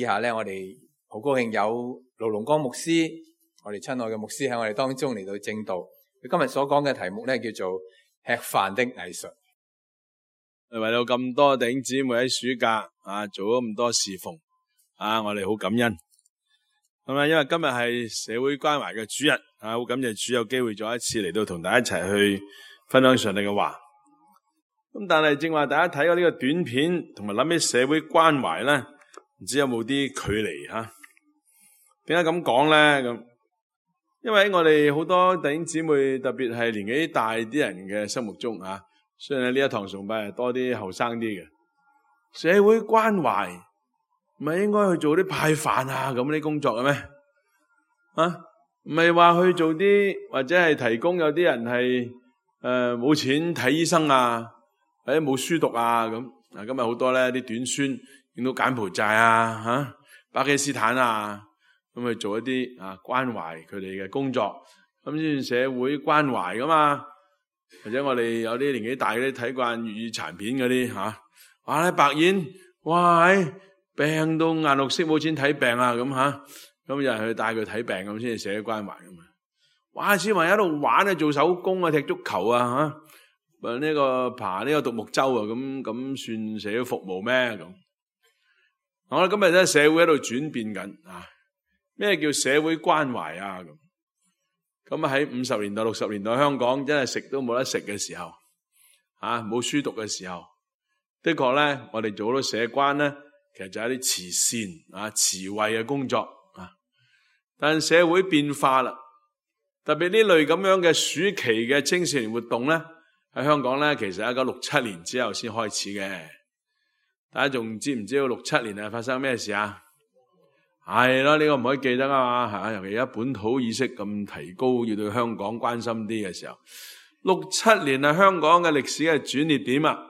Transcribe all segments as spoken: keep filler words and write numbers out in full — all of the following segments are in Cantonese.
以下咧，我哋好高興有盧龍光牧師，我哋親愛嘅牧師喺我哋當中嚟到證道。佢今日所講嘅題目咧叫做吃飯的藝術。為到咁多弟兄姊妹喺暑假啊做咗咁多侍奉啊，我哋好感恩。咁啊，因為今日係社會關懷嘅主日啊，好感謝主有機會再一次嚟到同大家一齊去分享上帝嘅話。咁但係正話大家睇過呢個短片，同埋諗起社會關懷咧，唔知有冇啲距離吓？點解咁講咧？咁因為喺我哋好多弟兄姊妹，特別係年紀大啲人嘅心目中啊，雖然呢一堂崇拜係多啲後生啲嘅，社會關懷唔係應該去做啲派飯啊咁啲工作嘅咩？啊，唔係話去做啲或者係提供有啲人係誒冇錢睇醫生啊，或者冇書讀啊咁。嗱，今日好多咧啲短宣影到柬埔寨啊、吓、啊、巴基斯坦啊。咁去做一啲啊關懷佢哋嘅工作，咁先社會關懷噶嘛。或者我哋有啲年紀大嗰啲睇慣粵語殘片嗰啲吓，哇咧白燕，哇病到眼綠色冇錢睇病啊咁吓，咁有人去帶佢睇病咁先係社會關懷噶嘛。哇小朋友喺度玩啊，做手工啊，踢足球啊吓，呢、這個爬呢個獨木舟啊，咁咁算社會服務咩咁？我哋今日咧社會喺度轉變緊啊。咩叫社會關懷啊？咁咁啊喺五十年代、六十年代香港真係食都冇得食嘅時候，啊冇書讀嘅時候，的確咧，我哋做好多社關咧，其實就係一啲慈善啊、慈惠嘅工作啊。但係社會變化啦，特別呢類咁樣嘅暑期嘅青少年活動咧，喺香港咧，其實喺一九六七年之後先開始嘅。大家仲知唔知道六七年係發生咩事啊？係咯，呢個唔可以記得啊嘛，吓，尤其而家本土意識咁提高，要對香港關心啲嘅時候，六七年係香港嘅歷史嘅轉捩點啊！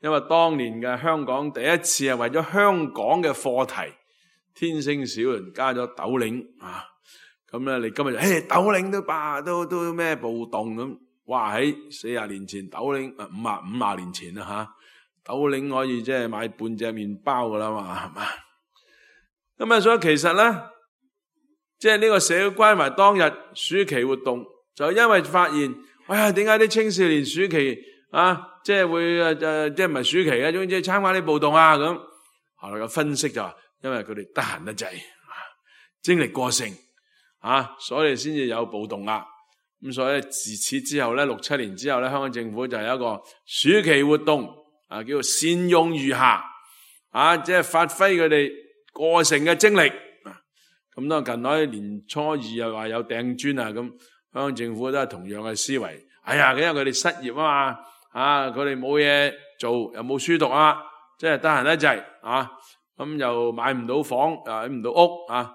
因為當年嘅香港第一次係為咗香港嘅課題，天星小輪加咗斗領啊，咁咧你今日就誒斗領都罷都都咩暴動咁，哇喺四十年前斗領啊五啊五啊年前啦吓，斗領可以即係買半隻麵包噶啦嘛，係嘛？咁啊，所以其實咧，即係呢個社會關懷當日暑期活動，就因為發現，哎呀，點解啲青少年暑期啊，即係會誒誒，即係唔係暑期嘅，總之參加啲暴動啊咁。後來嘅分析就話，因為佢哋得閒得滯，精力過剩啊，所以先至有暴動啦。咁所以自此之後咧，六七年之後咧，香港政府就有一個暑期活動啊，叫做善用餘暇啊，即係發揮佢哋過剩嘅精力，咁當近來年初二又話有掟磚啊，咁香港政府都係同樣嘅思維。哎呀，因為佢哋失業啊嘛，啊佢哋冇嘢做，又冇書讀啊，即係得閒得滯啊，咁又買唔到房，又買唔到屋啊，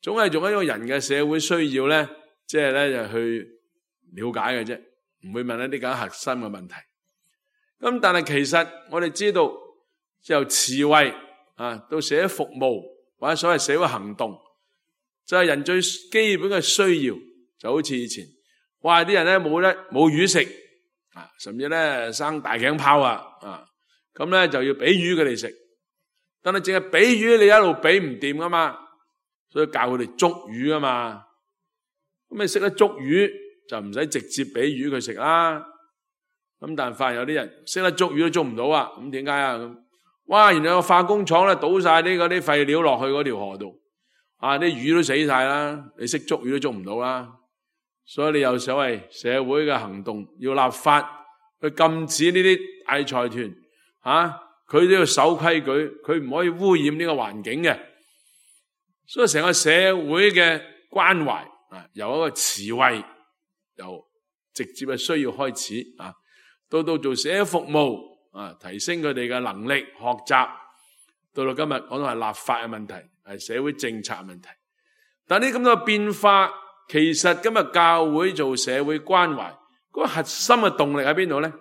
總係做一個人嘅社會需要咧，即係咧就去了解嘅啫，唔會問一啲咁核心嘅問題。咁但係其實我哋知道，由慈惠啊，到社會服務或者所謂社會行動，就係人最基本嘅需要，就好似以前，哇啲人咧冇得冇魚食啊，甚至咧生大頸泡啊，啊咁咧就要俾魚佢哋食，但係淨係俾魚你一路俾唔掂噶嘛，所以教佢哋捉魚噶嘛，咁你識得捉魚就唔使直接俾魚佢食啦，咁但係發現有啲人識得捉魚都捉唔到啊，咁點解啊咁？哇！原來個化工廠咧倒晒啲嗰啲廢料落去嗰條河度，啊啲魚都死晒啦！你識捉魚都捉唔到啦，所以你有所謂社會嘅行動，要立法去禁止呢啲大財團，啊佢都要守規矩，佢唔可以污染呢個環境嘅。所以成個社會嘅關懷啊，由一個慈惠，由直接嘅需要開始啊，到到做社會服務。啊！提升佢哋嘅能力、學習，到到今日講到係立法嘅問題，係社會政策嘅問題。但呢咁多變化，其實今日教會做社會關懷嗰個核心嘅動力喺邊度咧？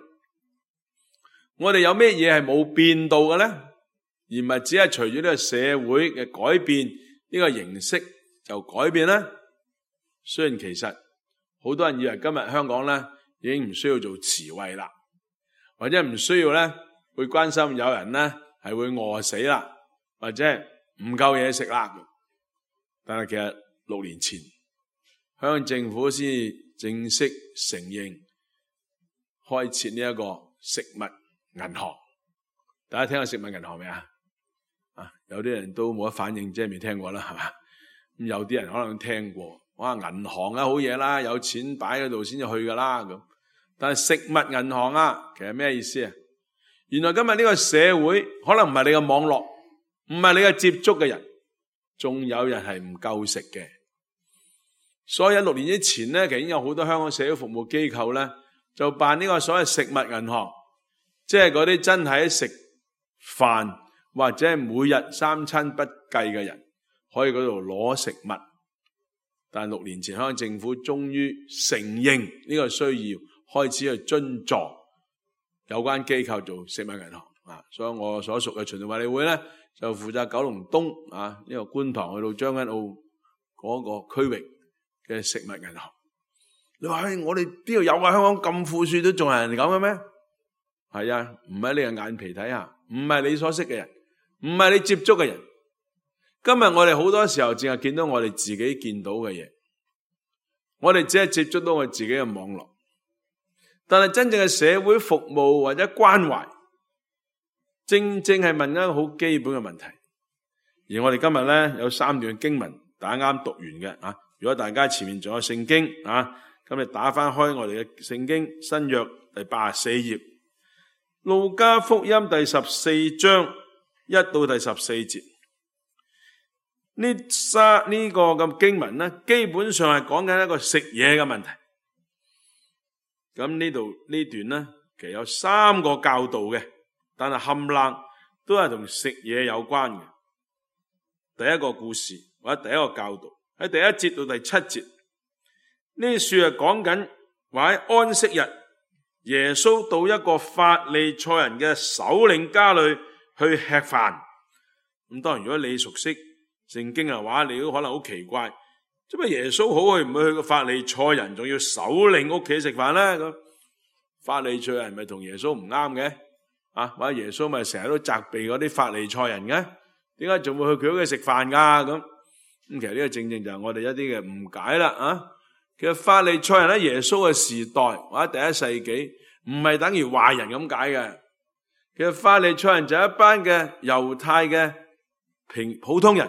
我哋有咩嘢係冇變到嘅咧？而唔係只係隨住呢個社會嘅改變，呢個形式就改變咧？雖然其實好多人以為今日香港咧已經唔需要做慈惠啦。或者唔需要咧，會關心有人咧係會餓死啦，或者唔夠嘢食啦。但係其實六年前，香港政府先正式承認開設呢一個食物銀行。大家聽過食物銀行未啊？啊，有啲人都冇乜反應，即係未聽過啦，係嘛？咁有啲人可能聽過，哇，銀行啊好嘢啦，有錢擺喺度先至去噶啦咁。但係食物銀行啊，其實咩意思啊？原來今日呢個社會可能唔係你嘅網絡，唔係你嘅接觸嘅人，仲有人係唔夠食嘅。所以喺六年之前咧，其實已經有好多香港社會服務機構咧，就辦呢個所謂食物銀行，即係嗰啲真係食飯或者係每日三餐不計嘅人，可以嗰度攞食物。但六年前香港政府終於承認呢個需要，開始去津助有關機構做食物銀行啊。所以我所屬嘅循道衛理會咧，就負責九龍東啊呢個觀塘去到將軍澳嗰個區域嘅食物銀行。你話我哋邊度有啊？香港咁富庶都仲係人哋咁嘅咩？係啊，唔喺你嘅眼皮睇下，唔係你所識嘅人，唔係你接觸嘅人。今日我哋好多時候淨係見到我哋自己見到嘅嘢，我哋只係接觸到我自己嘅網絡，但係真正嘅社會服務或者關懷，正正係問一個好基本嘅問題。而我哋今日咧有三段經文，大家啱讀完嘅啊。如果大家前面仲有聖經啊，咁你打翻開我哋嘅聖經新約第八十四頁，路加福音第十四章一到第十四節。呢三呢個咁經文咧，基本上係講緊一個食嘢嘅問題。咁呢度呢段咧，其實有三個教導嘅，但係冚唪都係同食嘢有關嘅。第一個故事或者第一個教導喺第一節到第七節，呢書係講緊話喺安息日，耶穌到一個法利賽人嘅首領家裏去吃飯。咁當然如果你熟悉聖經嘅話，你都可能好奇怪，即係耶穌好去唔去去個法利賽人，仲要首領屋企食飯咧？咁法利賽人咪同耶穌唔啱嘅啊？或者耶穌咪成日都責備嗰啲法利賽人嘅？點解仲會去佢屋企食飯噶？咁咁其實呢個正正就係我哋一啲嘅誤解啦啊！其實法利賽人喺耶穌嘅時代或者第一世紀唔係等於壞人咁解嘅。其實法利賽人就係一班嘅猶太嘅平普通人。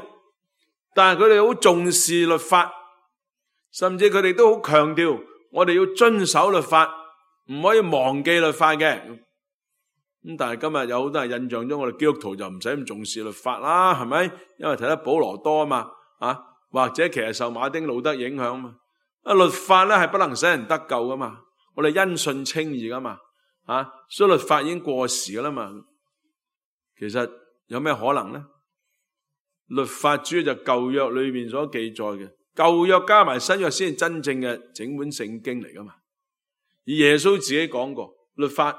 但係佢哋好重視律法，甚至佢哋都好強調我哋要遵守律法，唔可以忘記律法嘅。咁但係今日有好多人印象中，我哋基督徒就唔使咁重視律法啦，係咪？因為睇得保羅多啊嘛，啊或者其實受馬丁路德影響啊嘛。啊律法咧係不能使人得救噶嘛，我哋因信稱義噶嘛，啊所以律法已經過時噶啦嘛。其實有咩可能咧？律法主要就舊約裏面所記載嘅，舊約加埋新約先係真正嘅整本聖經嚟噶嘛。而耶穌自己講過，律法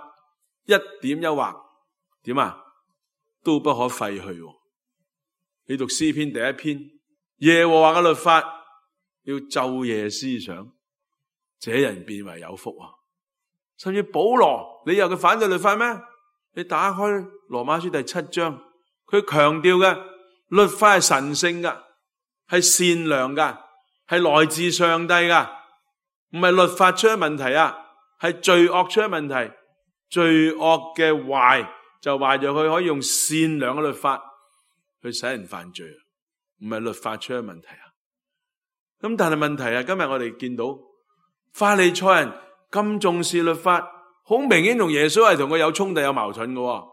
一點一劃點啊都不可廢去。你讀詩篇第一篇，耶和華嘅律法要晝夜思想，這人便為有福啊。甚至保羅，你又佢反對律法咩？你打開羅馬書第七章，佢強調嘅律法係神聖噶，係善良噶，係來自上帝噶，唔係律法出咗問題啊，係罪惡出咗問題。罪惡嘅壞就壞咗佢可以用善良嘅律法去使人犯罪，唔係律法出咗問題啊。咁但係問題係今日我哋見到法利賽人咁重視律法，好明顯同耶穌係同佢有衝突有矛盾嘅，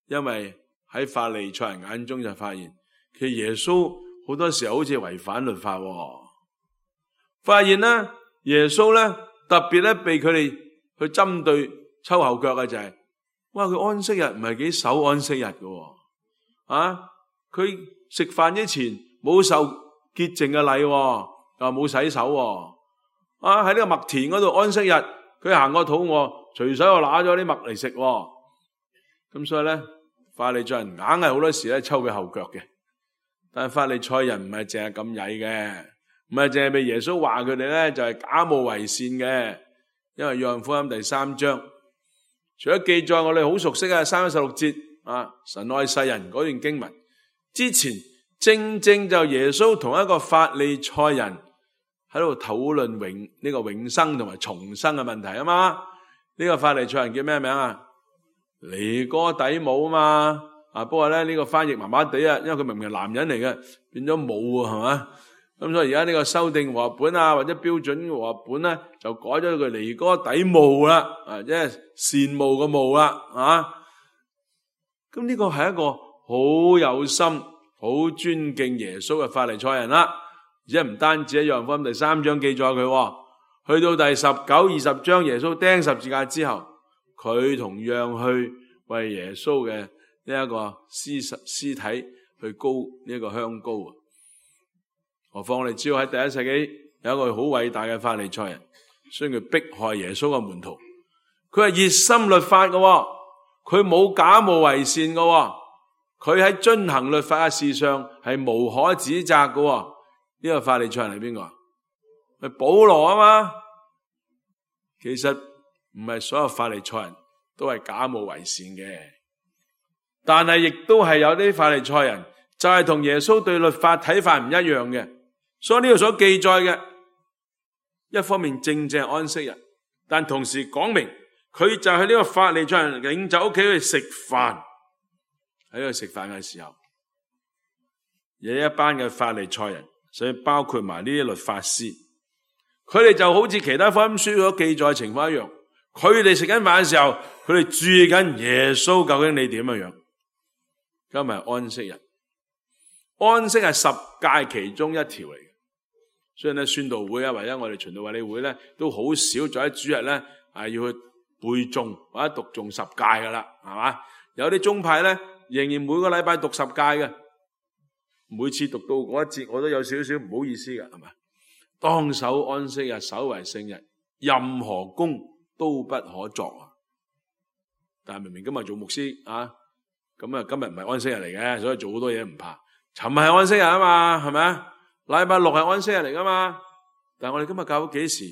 因為喺法利賽人眼中就發現，其實耶穌好多時候好似違反律法。發現咧，耶穌咧特別咧被佢哋去針對抽後腳嘅就係、是，哇！佢安息日唔係幾守安息日嘅，啊！佢食飯之前冇受潔淨嘅禮，又冇洗手，啊！喺呢個麥田嗰度安息日，佢行過肚餓，隨手又拿咗啲麥嚟食，咁所以咧。法利賽人硬係好多時咧抽佢後腳嘅，但係法利賽人唔係淨係咁曳嘅，唔係淨係被耶穌話佢哋咧就係假冒為善嘅。因為約翰福音第三章，除咗記載我哋好熟悉嘅三一十六節啊，神愛世人嗰段經文，之前正正就耶穌同一個法利賽人喺度討論永呢個永生同埋重生嘅問題啊嘛。呢個法利賽人叫咩名啊？尼哥底母啊嘛。啊，不過咧呢個翻譯麻麻地啊，因為佢明明係男人嚟嘅，變咗母啊，係嘛？咁所以而家呢個修訂和合本啊，或者標準和合本咧，就改咗佢尼哥底母啦，啊，即係羨慕嘅慕啦，啊。咁呢個係一個好有心、好尊敬耶穌嘅法利賽人啦。而且唔單止喺約翰福音第三章記載佢，去到第十九、二十章耶穌釘十字架之後，佢同樣去為耶穌嘅呢一個屍屍體去膏呢一個香膏啊。何況我哋知道喺第一世紀有一個好偉大嘅法利賽人，所以佢迫害耶穌嘅門徒，佢係熱心律法嘅，佢冇假冒為善嘅，佢喺遵行律法嘅事上係無可指責嘅。呢個法利賽人係邊個？係保羅啊嘛。其實唔係所有法利賽人都係假冒為善嘅，但係亦都係有啲法利賽人就係同耶穌對律法睇法唔一樣嘅。所以呢度所記載嘅，一方面正正係安息日，但同時講明佢就喺呢個法利賽人領袖屋企去食飯，喺度食飯嘅時候，有一班嘅法利賽人，所以包括埋呢啲律法師，佢哋就好似其他福音書所記載嘅情況一樣，佢哋食緊飯嘅時候，佢哋注意緊耶穌究竟你點樣樣。今日安息日，安息係十誡其中一條嚟嘅，所以咧宣道會啊，或者我哋循道衛理會咧，都好少在喺主日咧係要去背誦或者讀誦十誡噶啦，係嘛？有啲宗派咧仍然每個禮拜讀十誡嘅，每次讀到嗰一節我都有少少唔好意思嘅，係嘛？當守安息日，守為聖日，任何工都不可作啊！但係明明今日做牧師啊，咁啊今日唔係安息日嚟嘅，所以做好多嘢唔怕。尋日係安息日啊嘛，係咪啊？禮拜六係安息日嚟噶嘛？但係我哋今日教會幾時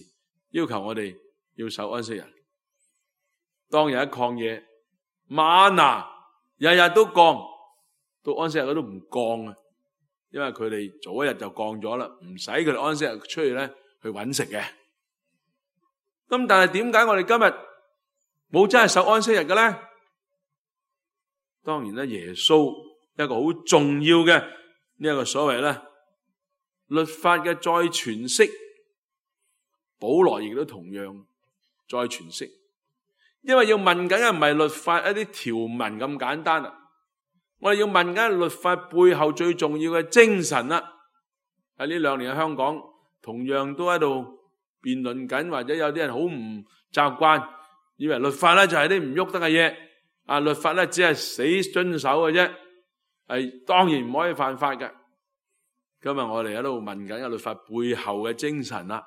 要求我哋要守安息日？當日喺曠野，嗎哪日日都降，到安息日佢都唔降啊！因為佢哋早一日就降咗啦，唔使佢哋安息日出去咧去揾食嘅。咁但係點解我哋今日冇真係守安息日嘅咧？當然咧，耶穌一個好重要嘅呢一個所謂咧律法嘅再詮釋，保羅亦都同樣再詮釋。因為要問緊嘅唔係律法一啲條文咁簡單啊，我哋要問緊律法背後最重要嘅精神啦。喺呢兩年喺香港，同樣都喺度辯論緊，或者有啲人好唔習慣，以為律法咧就係啲唔喐得嘅嘢，啊律法咧只係死遵守嘅啫，係當然唔可以犯法嘅。今日我哋喺度問緊嘅律法背後嘅精神啦。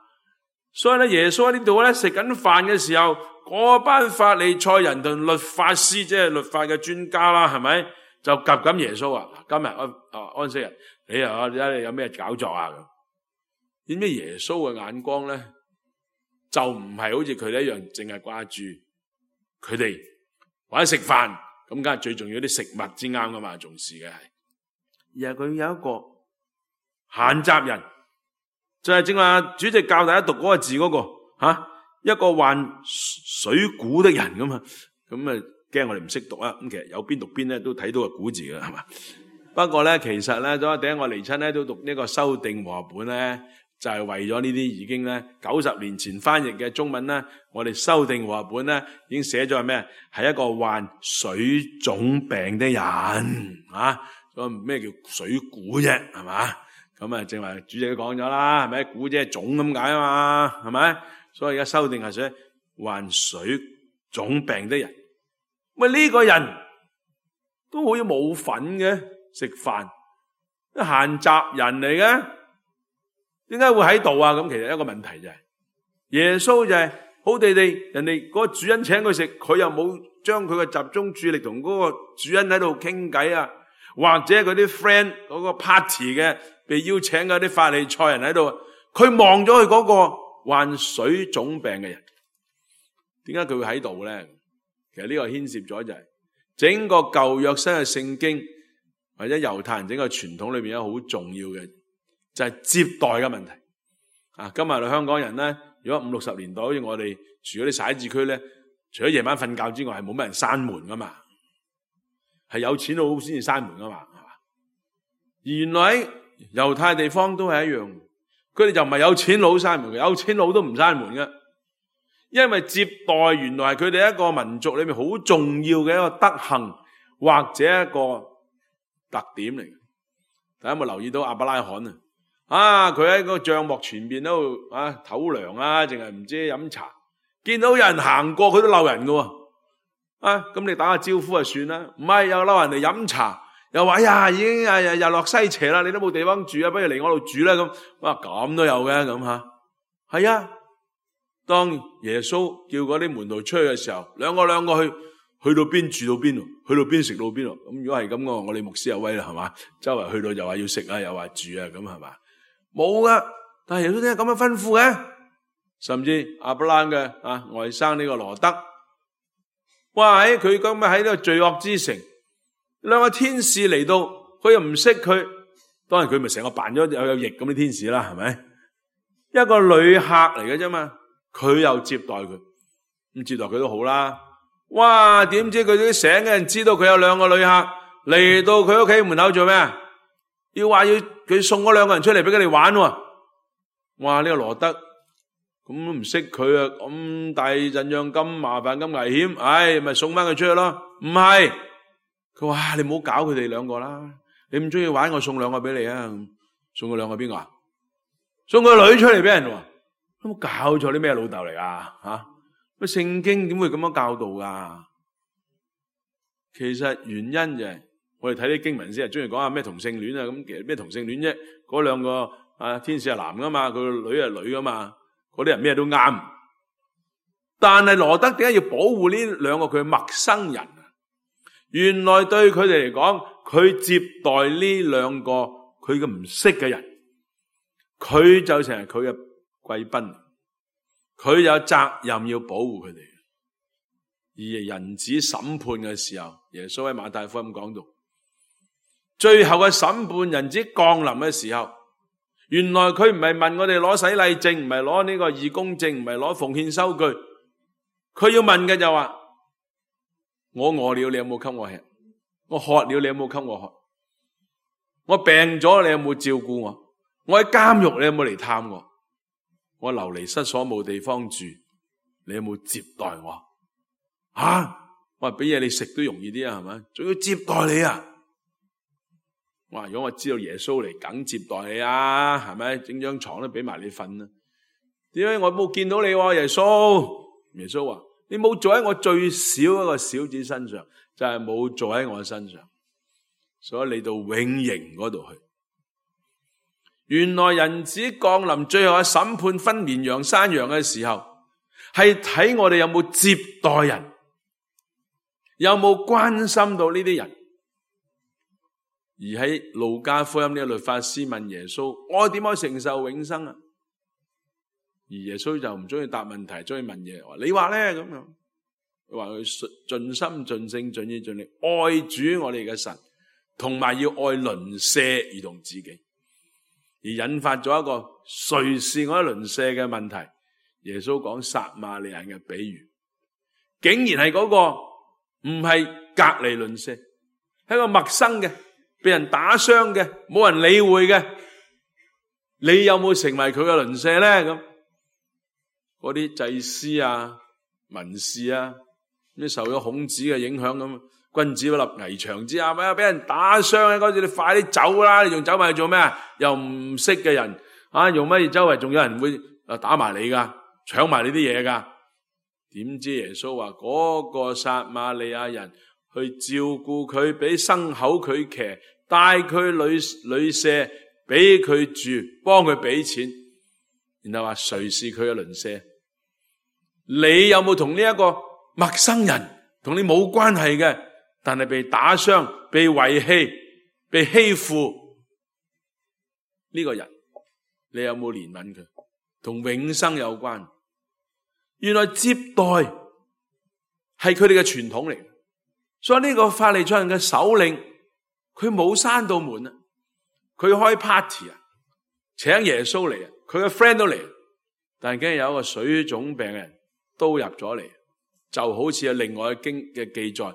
所以咧，耶穌喺呢度咧食緊飯嘅時候，嗰班法利賽人同律法師，即係律法嘅專家啦，係咪就夾緊耶穌啊？今日安啊安息日，你啊你睇你有咩搞作啊？咁點知耶穌嘅眼光咧，就唔係好似佢哋一樣，淨係掛住佢哋或者食飯咁，梗係最重要啲食物之啱噶嘛，重視嘅係，而係佢有一個閒雜人。就係正話主席教大家讀嗰個字嗰、那個吓、啊，一個患水臌的人咁啊，咁啊驚我哋唔識讀啊，咁其實有邊讀邊咧都睇到個臌字嘅係嘛。不過咧其實咧，咁第一我嚟親咧都讀呢個修訂和合本咧，就係、是、為咗呢啲已經咧九十年前翻譯嘅中文咧，我哋修訂和合本咧已經寫咗係咩？係一個患水腫病的人啊，咁咩叫水臌啫？係嘛？咁啊，正話主席都講咗啦，係咪？臌即係腫咁解啊嘛，係咪？所以而家修訂係寫患水腫病的人。喂，呢個人都好似冇份嘅，食飯啲閒雜人嚟嘅，點解會喺度啊？咁其實一個問題就係、是、耶穌就係好地地，人哋嗰個主人請佢食，佢又冇將佢嘅集中注意力同嗰個主人喺度傾偈啊，或者佢啲 friend 嗰個 party 嘅。被邀請嘅啲法利賽人喺度，佢望咗佢嗰個患水腫病嘅人，點解佢會喺度咧？其實呢個牽涉咗就係整個舊約新嘅聖經或者猶太人整個傳統裏邊一個好重要嘅就係接待嘅問題。啊，今日嚟香港人咧，如果五六十年代好似我哋住嗰啲徙置區咧，除咗夜晚瞓覺之外，係冇乜人閂門噶嘛，係有錢佬先至閂門噶嘛，係嘛？而原來喺猶太地方都係一樣，佢哋就唔係有錢佬閂門嘅，有錢佬都唔閂門嘅，因為接待原來係佢哋一個民族裏面好重要嘅一個德行或者一個特點嚟。大家有冇留意到亞伯拉罕啊？啊，佢喺個帳幕前邊都啊唞涼啊，淨係唔知飲茶，見到有人行過佢都鬧人㗎喎。啊，咁你打下招呼就算啦，唔係又嬲人哋飲茶，又話哎呀已經啊日落西斜啦，你都冇地方住啊，不如嚟我度住啦咁。哇，咁都有嘅咁吓，係啊。當耶穌叫嗰啲門徒出去嘅時候，兩個兩個去，去到邊住到邊，去到邊食到邊。咁如果係咁嘅，我哋牧師有威啦，係嘛？周圍去到又話要食啊，又話住啊，咁係嘛？冇噶，但係耶穌點解咁樣吩咐嘅？甚至亞伯拉罕嘅啊外甥呢個羅德，哇！喺佢咁樣喺呢個罪惡之城，兩個天使嚟到，佢又唔識佢，當然佢咪成個扮咗有有翼咁啲天使啦，係咪？一個旅客嚟嘅啫嘛，佢又接待佢，咁接待佢都好啦。哇！點知佢啲醒嘅人知道佢有兩個旅客嚟到佢屋企門口做咩？要話要佢送嗰兩個人出嚟俾佢哋玩喎。哇！呢個羅德咁都唔識佢啊，咁大陣仗咁麻煩咁危險，唉，咪送翻佢出去咯。唔係，佢話你唔好搞佢哋兩個啦，你唔中意玩我送兩個俾你啊。送佢兩個邊個啊？送個女出嚟俾人喎。有冇搞錯？啲咩老豆嚟啊？吓，乜聖經點會咁樣教導噶？其實原因就係我哋睇啲經文先係中意講下咩同性戀啊，咁其實咩同性戀啫？嗰兩個啊天使係男噶嘛，佢個女係女噶嘛，嗰啲人咩都啱。但係羅德點解要保護呢兩個佢嘅陌生人啊？原來對佢哋嚟講，佢接待呢兩個佢嘅唔識嘅人，佢就成係佢嘅貴賓，佢有責任要保護佢哋。而人子審判嘅時候，耶穌喺馬太福音講到，最後嘅審判人子降臨嘅時候，原來佢唔係問我哋攞洗禮證，唔係攞呢個義工證，唔係攞奉獻收據，佢要問嘅就話：我餓了，你有冇給我吃？我渴了，你有冇給我喝？我病咗，你有冇照顧我？我喺監獄，你有冇嚟探我？我流離失所冇地方住，你有冇接待我？啊！我話俾嘢你食都容易啲啊，係咪？仲要接待你啊！哇！如果我知道耶穌嚟，梗接待你啊，係咪？整張床都俾埋你瞓啊！點解我冇見到你喎？耶穌，耶穌話：你冇做喺我最少一個小子身上，就係冇做喺我身上，所以你到永刑嗰度去。原來人子降臨最後嘅審判分綿羊山羊嘅時候，係睇我哋有冇接待人，有冇關心到呢啲人。而喺路加福音呢個律法師問耶穌：我點可以承受永生啊？而耶穌就唔中意答問題，中意問嘢，話你話咧咁樣。佢話佢盡心盡性盡意盡力愛主我哋嘅神，同埋要愛鄰舍如同自己，而引發咗一個誰是我鄰舍嘅問題。耶穌講撒瑪利亞人嘅比喻，竟然係嗰個唔係隔離鄰舍，係一個陌生嘅，被人打傷嘅，冇人理會嘅。你有冇成為佢嘅鄰舍咧？咁嗰啲祭司啊、文士啊，啲受咗孔子嘅影響咁，君子不立危牆之下，咪俾人打傷啊！嗰時你快啲走啦，你仲走埋去做咩啊？又唔識嘅人啊，用乜嘢？周圍仲有人會啊打埋你噶，搶埋你啲嘢噶。點知耶穌話嗰個撒瑪利亞人去照顧佢，俾牲口佢騎，帶佢旅旅舍，俾佢住，幫佢俾錢，然後話誰是佢嘅鄰舍？你有冇同呢一個陌生人，同你冇關係嘅，但係被打傷、被遺棄、被欺負呢個人，你有冇憐憫佢？同永生有關。原來接待係佢哋嘅傳統嚟，所以呢個法利賽人嘅首領，佢冇閂到門啊，佢開 party 啊，請耶穌嚟啊，佢嘅 friend 都嚟，但係竟然有一個水腫病嘅人都入咗嚟，就好似有另外嘅經嘅記載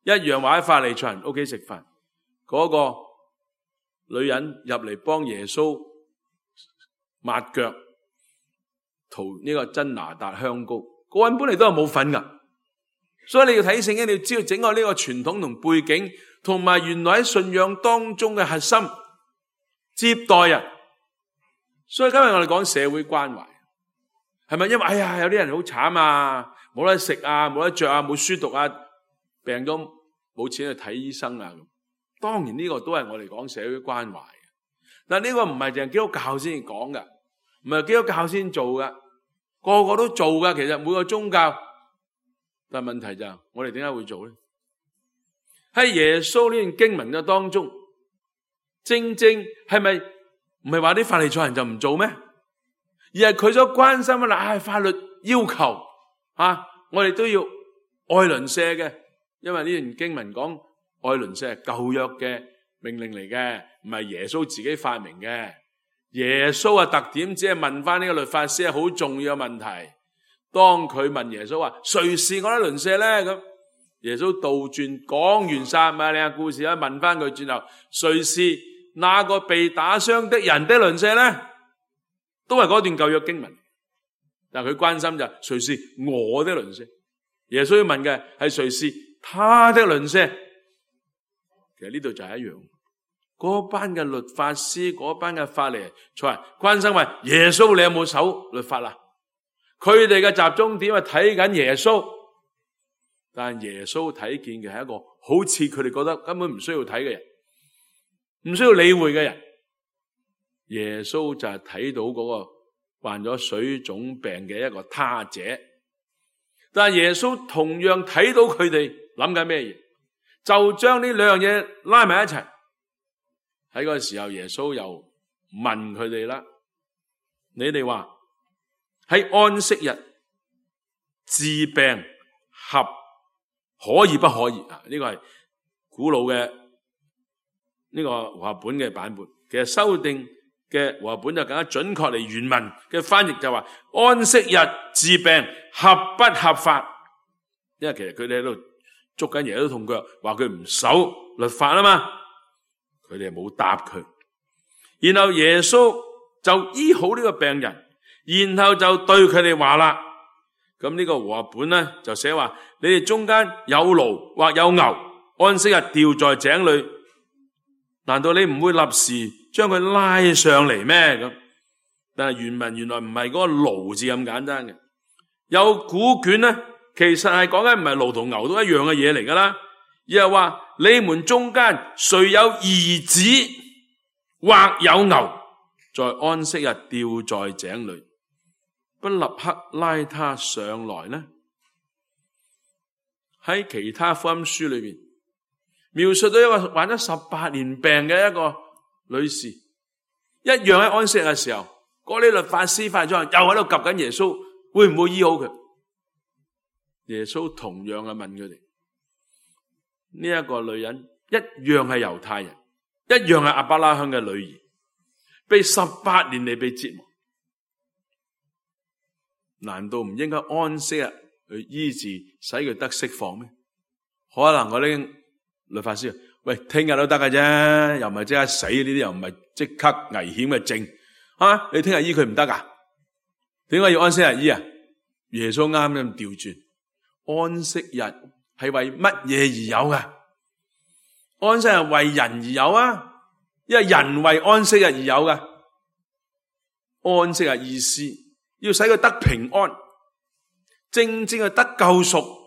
一樣，話喺法利賽人屋企食飯，嗰個女人入嚟幫耶穌抹腳，塗呢個真拿達香膏，個人本嚟都係冇份噶，所以你要睇聖經，你要知道整個呢個傳統同背景，同埋原來喺信仰當中嘅核心接待人。所以今日我哋講社會關懷，係咪因為哎呀有啲人好慘啊，冇得食啊，冇得着啊，冇書讀啊，病咗冇錢去睇醫生啊？當然呢個都係我哋講社會關懷嘅，但呢個唔係淨係基督教先講噶，唔係基督教先做噶，個個都做噶。其實每個宗教，但係問題就係我哋點解會做咧？喺耶穌呢段經文嘅當中，正正係咪唔係話啲法利賽人就唔做咩？而係佢所關心嘅嗱，法律要求啊，我哋都要愛鄰舍嘅，因為呢段經文講愛鄰舍係舊約嘅命令嚟嘅，唔係耶穌自己發明嘅。耶穌嘅特點只係問翻呢個律法師係好重要嘅問題。當佢問耶穌話誰是我的鄰舍咧？咁耶穌倒轉講完撒瑪利亞故事啦，問翻佢轉頭，誰是那個被打傷的人的鄰舍咧？都係嗰段舊約經文，但係佢關心就係誰是我的鄰舍。耶穌要問嘅係誰是他的鄰舍。其實呢度就係一樣，嗰班嘅律法師，嗰班嘅法利賽人關心話耶穌你有冇守律法啊？佢哋嘅集中點係睇緊耶穌，但係耶穌睇見嘅係一個好似佢哋覺得根本唔需要睇嘅人，唔需要理會嘅人。耶穌就係睇到嗰個患咗水腫病嘅一個他者，但係耶穌同樣睇到佢哋諗緊咩嘢，就將呢兩樣嘢拉埋一齊。喺嗰個時候，耶穌又問佢哋啦：你哋話喺安息日治病合可以不可以啊？呢個係古老嘅呢個和合本嘅版本，其實修訂嘅和合本就更加準確嚟，原文嘅翻譯就話安息日治病合不合法？因為其實佢哋喺度捉緊耶穌痛腳，話佢唔守律法啊嘛，佢哋冇答佢。然後耶穌就醫好呢個病人，然後就對佢哋話啦，咁呢個和合本咧就寫話：你哋中間有驢或有牛，安息日掉在井裏，難道你唔會立時將佢拉上嚟咩？咁但係原文原來唔係嗰個驢字咁簡單嘅，有古卷咧，其實係講緊唔係驢同牛都一樣嘅嘢嚟噶啦，而係話你們中間誰有兒子或有牛，在安息日掉在井裏，不立刻拉他上來呢？喺其他福音書裏邊描述到一個患咗十八年病嘅一個女士，一樣喺安息日嘅時候，嗰啲律法師法利賽人又喺度及緊耶穌，會唔會醫好佢？耶穌同樣嘅問佢哋，呢、這、一個女人一樣係猶太人，一樣係亞伯拉罕嘅女兒，被十八年嚟被折磨，難道唔應該安息日去醫治，使佢得釋放咩？可能我啲律法師，喂，聽日都得嘅啫，又唔係即刻死，呢啲又唔係即刻危險嘅症啊！你聽日醫佢唔得噶？點解要安息日醫啊？耶穌啱啱調轉，安息日係為乜嘢而有噶？安息日為人而有啊，因為人為安息日而有噶。安息日意思要使佢得平安，正正係得救贖，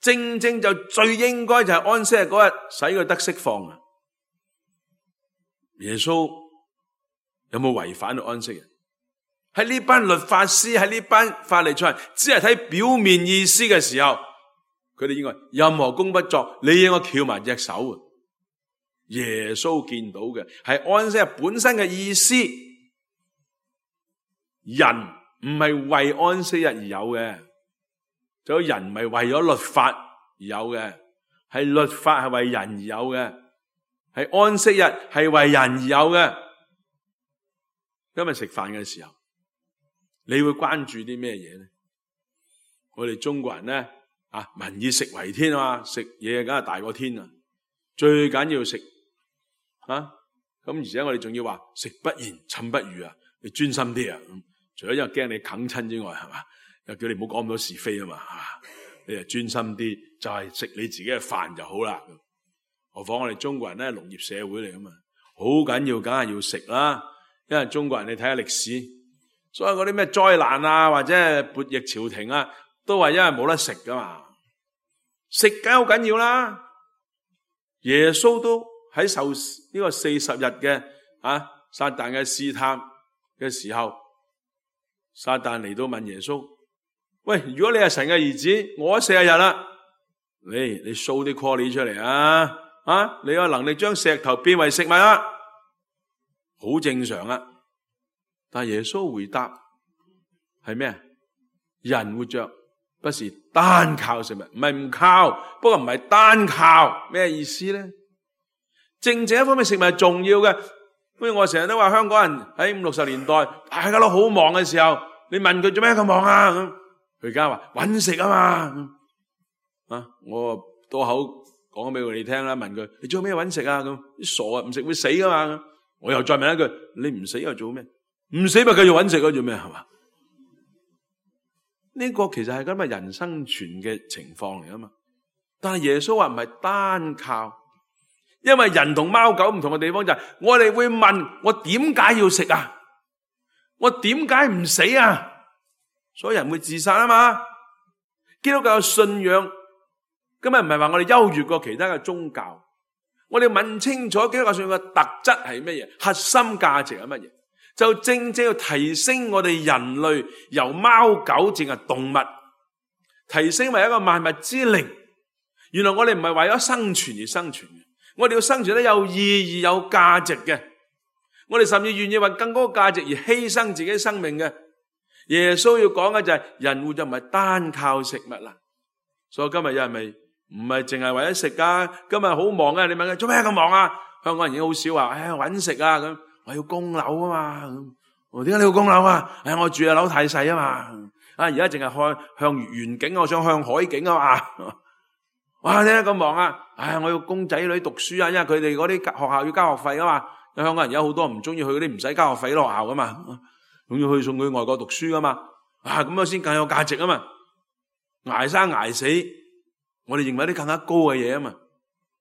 正正就最應該就係安息日嗰日使佢得釋放啊！耶穌有冇違反到安息日？喺呢班律法師，喺呢班法利賽人只係睇表面意思嘅時候，佢哋應該任何工不作，你應該翹埋隻手啊！耶穌見到嘅係安息日本身嘅意思，人唔係為安息日而有嘅，就人唔係為咗律法而有嘅，係律法係為人而有嘅。係安息日，係為人而有嘅。今日食飯嘅時候，你會關注啲咩嘢咧？我哋中國人咧啊，民以食為天啊嘛，食嘢梗係大過天啊，最緊要食啊！咁而且我哋仲要話食不言，寢不語啊，你專心啲啊！除咗因為驚你啃親之外，係嘛？又叫你唔好講咁多是非啊嘛，係嘛？你就專心啲，就係食你自己嘅飯就好啦。何況我哋中國人咧，農業社會嚟噶嘛，好緊要，梗係要食啦。因為中國人你睇下歷史，所有嗰啲咩災難啊，或者係叛逆朝廷啊，都係因為冇得食噶嘛。食梗好緊要啦。耶穌都喺受呢個四十日嘅啊撒旦嘅試探嘅時候，撒旦嚟到問耶穌：喂，如果你係神嘅兒子，我四十日啦，你你 show 啲 quality 出嚟啊！啊，你有能力將石頭變為食物啊，好正常啊。但耶穌回答係咩？人活着不是單靠食物，唔係唔靠，不過唔係單靠，咩意思咧？正正一方面食物係重要嘅，所以我成日都話香港人喺五六十年代大家都好忙嘅時候，你問佢做咩咁忙啊？咁佢而家話搵食啊嘛，啊，我多口講俾佢哋聽啦，問佢你做咩搵食啊？咁啲傻啊，唔食會死噶嘛？我又再問一句，你唔死又做咩？唔死咪繼續搵食咯，做咩係嘛？呢個其實係咁嘅人生存嘅情況嚟啊嘛。但係耶穌話唔係單靠，因為人同貓狗唔同嘅地方就係，我哋會問我點解要食啊？我點解唔死啊？所以人會自殺啊嘛。基督教嘅信仰今日唔係話我哋優越過其他嘅宗教，我哋問清楚基督教信仰嘅特質係乜嘢，核心價值係乜嘢，就正正要提升我哋人類由貓狗淨係動物，提升為一個萬物之靈。原來我哋唔係為咗生存而生存嘅，我哋要生存得有意義、有價值嘅。我哋甚至願意為更高價值而犧牲自己生命嘅。耶穌要講嘅就係人活着唔係單靠食物啦。所以今日有人咪唔係淨係為咗食噶，今日好忙啊！你問佢做咩咁忙啊？香港人已經好少話，唉，搵食啊咁，我要供樓啊嘛。咁我點解你要供樓啊？唉，我住嘅樓太細啊嘛。啊，而家淨係向向遠景，我想向海景啊嘛。哇，點解咁忙啊？唉，我要供仔女讀書啊，因為佢哋嗰啲學校要交學費啊嘛。香港人有好多唔中意去嗰啲唔使交學費嘅學校噶嘛，咁要去送佢外國讀書噶嘛。啊，咁樣先更有價值啊嘛。捱生捱死，我哋認為啲更加高嘅嘢啊嘛。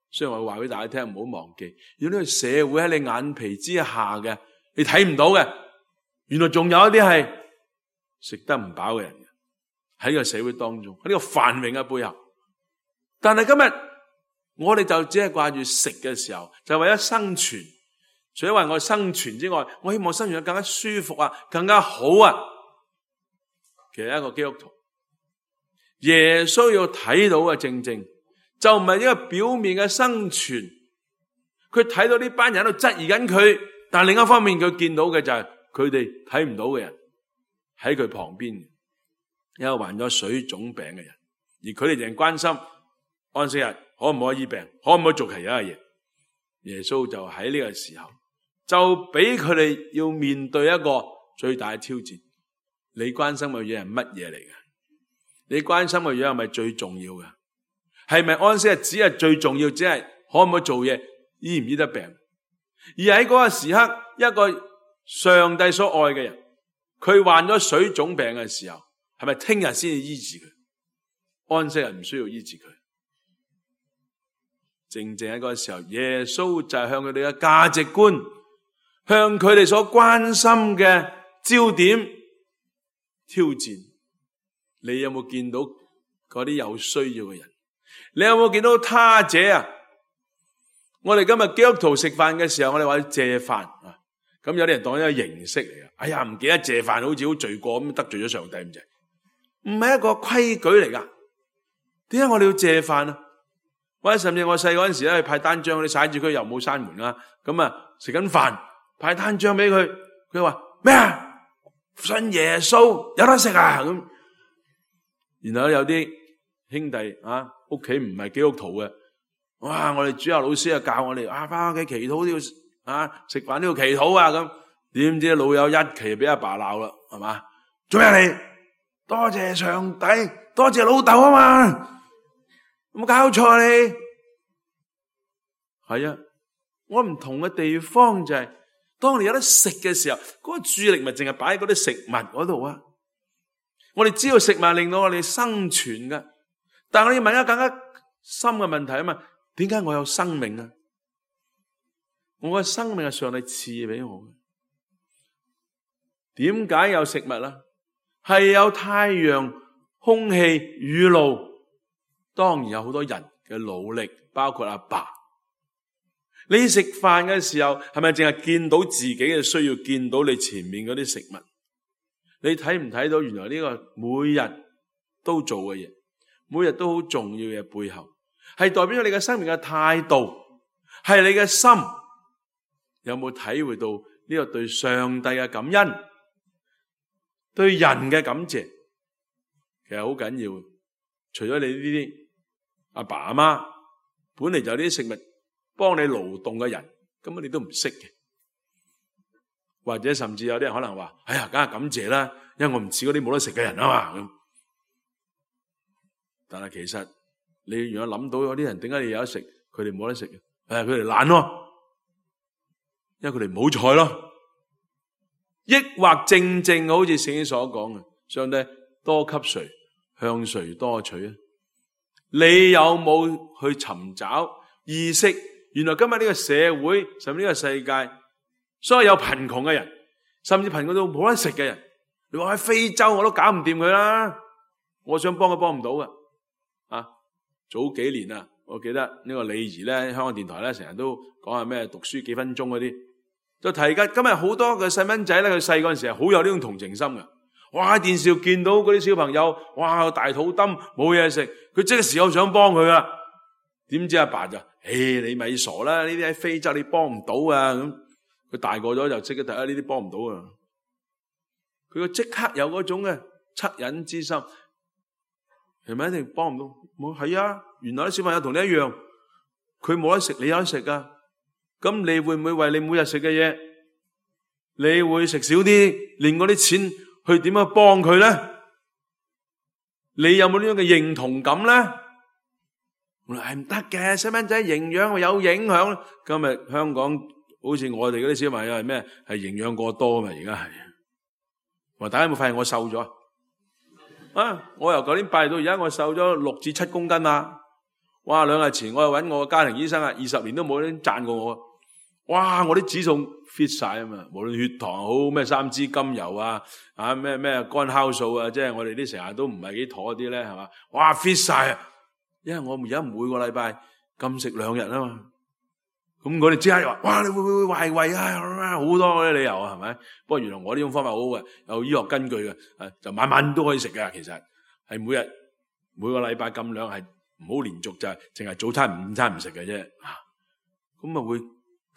所以我話俾大家聽，唔好忘記，如果呢個社會喺你眼皮之下嘅，你睇唔到嘅，原來仲有一啲係食得唔飽嘅人喺呢個社會當中，喺呢個繁榮嘅背後。但係今日我哋就只係掛住食嘅時候，就為咗生存。除咗為我生存之外，我希望生存得更加舒服啊，更加好啊。其實一個基督徒，耶穌要睇到嘅正正就唔係一個表面嘅生存，佢睇到呢班人喺度質疑緊佢，但另一方面佢見到嘅就係佢哋睇唔到嘅人喺佢旁邊，一個患咗水腫病嘅人，而佢哋淨係關心安息日可唔可以醫病，可唔可以做其他嘅嘢。耶穌就喺呢個時候就俾佢哋要面對一個最大嘅挑戰。你關心嘅嘢係乜嘢嚟嘅？你關心嘅嘢係咪最重要嘅？係咪安息日只係最重要？只係可唔可以做嘢，醫唔醫得病？而喺嗰個時刻，一個上帝所愛嘅人，佢患咗水腫病嘅時候，係咪聽日先至醫治佢？安息日唔需要醫治佢。正正喺嗰個時候，耶穌就係向佢哋嘅價值觀，向佢哋所關心嘅焦點挑戰。你有冇見到嗰啲有需要嘅人？你有冇見到他者啊？我哋今日基督徒食飯嘅時候，我哋話要謝飯啊，咁有啲人當一個形式嚟嘅。哎呀，唔記得謝飯，好似好罪過咁，得罪咗上帝咁滯。唔係一個規矩嚟噶。點解我哋要謝飯啊？或者甚至我細嗰陣時咧，派單張，你踩住佢又冇閂門啦，咁啊食緊飯派單張俾佢，佢話咩啊？信耶穌有得食啊咁。然後有啲兄弟啊，屋企唔係基督徒嘅，哇！我哋主日老師啊教我哋啊，翻屋企祈禱都要啊，食飯都要祈禱啊咁。點知老友一期俾阿爸鬧啦，係嘛？做咩嚟？多謝上帝，多謝老豆啊嘛！有冇搞錯你？係啊，我唔同嘅地方就係、是，當你有得食嘅時候，嗰、那個注意力咪淨係擺喺嗰啲食物嗰度啊！我哋知道食物令到我哋生存噶，但係我要問一個更加深嘅問題啊嘛，點解我有生命啊？我嘅生命係上帝賜俾我嘅，點解有食物啊？係有太陽、空氣、雨露，當然有好多人嘅努力，包括阿爸。你食飯嘅時候，係咪淨係見到自己嘅需要，見到你前面嗰啲食物？你睇唔睇到原來呢個每日都做嘅嘢，每日都好重要嘅背後，係代表咗你嘅生命嘅態度，係你嘅心有冇體會到呢個對上帝嘅感恩，對人嘅感謝，其實好緊要。除咗你呢啲阿爸阿媽，本嚟就有啲食物幫你勞動嘅人，根本你都唔識嘅。或者甚至有啲人可能話：哎呀，梗係感謝啦，因為我唔似嗰啲冇得食嘅人啊嘛。咁，但係其實你如果諗到有啲人點解你有得食，佢哋冇得食嘅？誒，佢哋懶咯，因為佢哋唔好彩咯。抑或正正好似聖經所講嘅，上帝多給誰，向誰多取啊？你有冇去尋找意識？原來今日呢個社會，甚至呢個世界，所有有貧窮嘅人，甚至貧窮到冇得食嘅人，你話喺非洲我都搞唔掂佢啦，我想幫佢幫唔到嘅。啊，早幾年啊，我記得呢個李儀咧，香港電台咧成日都講下咩讀書幾分鐘嗰啲，就提緊今日好多嘅細蚊仔咧，佢細嗰陣時係好有呢種同情心嘅。哇！喺電視見到嗰啲小朋友，哇，大肚墩冇嘢食，佢即刻時候想幫佢啊。點知阿爸就：誒，你咪傻啦！呢啲喺非洲你幫唔到啊！咁佢大個咗就即刻睇下呢啲幫唔到啊。佢個即刻有嗰種嘅惻隱之心，係咪一定幫唔到？冇係啊！原來啲小朋友同你一樣，佢冇得食，你有得食噶。咁你會唔會為你每日食嘅嘢，你會食少啲，連嗰啲錢去點樣幫佢咧？你有冇呢種嘅認同感咧？我話係唔得嘅，細蚊仔營養有影響。今日香港好似我哋嗰啲小朋友係咩？係營養過多嘛？而家係。話大家有冇發現我瘦咗啊？我由舊年八月到而家，我瘦咗六至七公斤啦。哇！兩日前我又揾我個家庭醫生啊，二十年都冇人讚過我。哇！我啲指數 fit 晒啊嘛，無論血糖好咩三脂甘油啊，啊咩咩肝酵素啊，即係我哋啲成日都唔係幾妥啲咧，係嘛？哇 fit 晒啊！因為我而家每個禮拜禁食兩日啊嘛，咁我哋即刻又話：哇！你會唔會壞胃啊？好多嗰啲理由啊，係咪？不過原來我呢種方法好好嘅，有醫學根據嘅，就晚晚都可以食嘅。其實係每日每個禮拜禁兩，係唔好連續就係淨係早餐午餐唔食嘅啫。咁啊會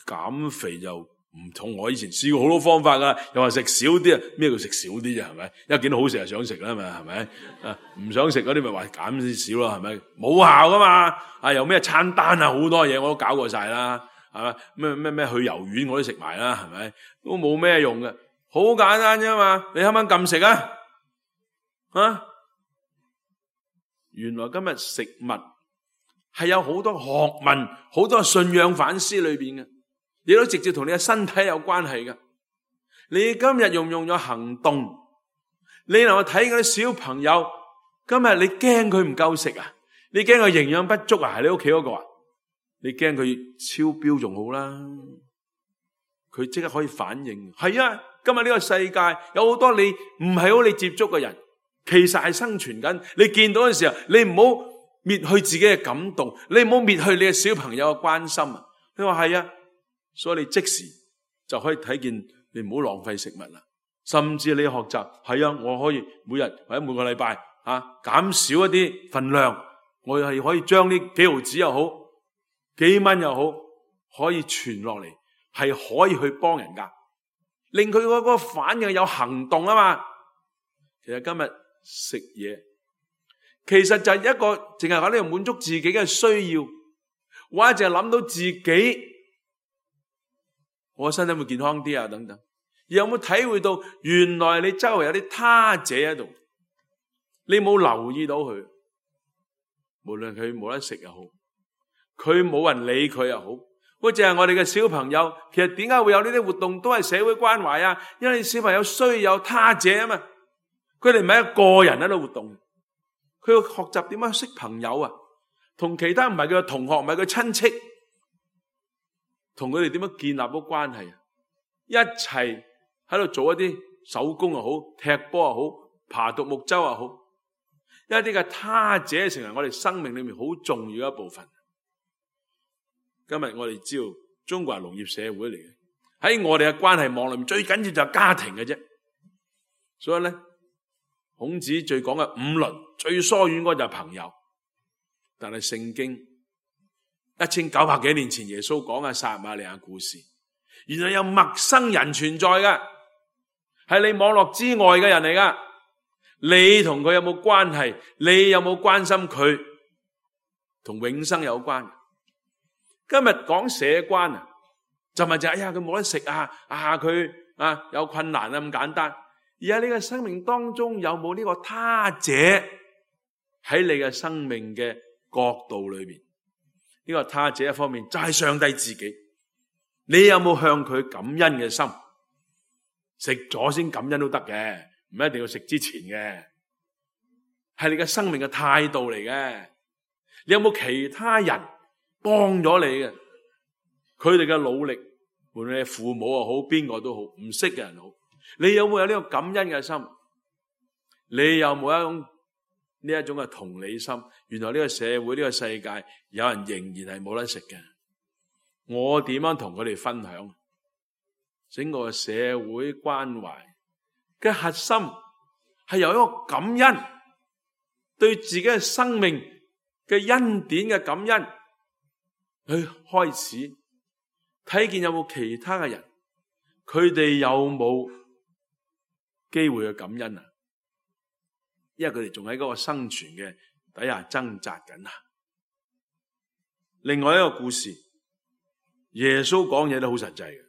減肥就唔同我以前試過好多方法噶，又話食少啲啊，咩叫食少啲啫？係咪？一見到好食就想食啦嘛，係咪？啊，唔想食嗰啲咪話減少少咯，係咪？冇效噶嘛，啊，有咩餐單啊，好多嘢我都搞過晒啦，係咪？咩咩咩去油丸我都食埋啦，係咪？都冇咩用嘅，好簡單啫嘛。你啱啱禁食啊？啊，原來今日食物係有好多學問，好多信仰反思裏邊嘅。你都直接同你嘅身體有關係㗎。你今日用唔用咗行動？你能夠睇嗰啲小朋友，今日你驚佢唔夠食啊？你驚佢營養不足啊？係你屋企嗰個啊？你驚佢超標仲好啦，佢即刻可以反應。係啊，今日呢個世界有好多你唔係好你接觸嘅人，其實係生存緊。你見到嘅時候，你唔好滅去自己嘅感動，你唔好滅去你嘅小朋友嘅關心啊！你話係啊？所以你即時就可以睇見，你唔好浪費食物啦。甚至你學習係啊，我可以每日或者每個禮拜啊減少一啲份量，我係可以將呢幾毫子又好，幾蚊又好，可以傳落嚟，係可以去幫人噶，令佢嗰個反應有行動啊嘛。其實今日食嘢，其實就係一個淨係喺呢度滿足自己嘅需要。或者淨係諗到自己，我身體會健康啲啊等等。有冇體會到原來你周圍有啲他者喺度，你冇留意到佢，無論佢冇得食又好，佢冇人理佢又好，或者係我哋嘅小朋友，其實點解會有呢啲活動都係社會關懷啊？因為小朋友需要有他者啊嘛，佢哋唔係一個人喺度活動，佢要學習點樣識朋友啊，同其他唔係佢嘅同學，唔係佢親戚，同佢哋點樣建立到關係啊，一齊喺度做一啲手工又好，踢波又好，爬獨木舟又好，一啲嘅他者成為我哋生命裏面好重要嘅一部分。今日我哋知道中國係農業社會嚟嘅，喺我哋嘅關係網裏面最緊要就係家庭嘅啫。所以咧，孔子最講嘅五倫最疏遠嗰就係朋友。但係聖經一千九百幾年前耶穌講嘅撒瑪利亞故事，原來有陌生人存在嘅，係你網絡之外嘅人嚟噶。你同佢有冇關係？你有冇關心佢？同永生有關。今日講社關啊，就咪就係哎呀佢冇得食啊，啊佢啊有困難啊咁簡單。而喺你嘅生命當中有冇呢個他者喺你嘅生命嘅角度裏邊？呢個他者一方面就係上帝自己，你有冇向佢感恩嘅心？食咗先感恩都得嘅，唔一定要食之前嘅，係你嘅生命嘅態度嚟嘅。你有冇其他人幫咗你嘅？佢哋嘅努力，無論你父母又好，邊個都好，唔識嘅人好，你有冇有呢個感恩嘅心？你有冇一種呢一種嘅同理心？原來呢個社會呢個世界有人仍然係冇得食嘅，我點樣同佢哋分享？整個社會關懷嘅核心係由一個感恩，對自己嘅生命嘅恩典嘅感恩去開始，睇見有冇其他嘅人，佢哋有冇機會去感恩啊？因為佢哋仲喺嗰個生存嘅底下掙扎緊啊。另外一個故事，耶穌講嘢都好實際嘅，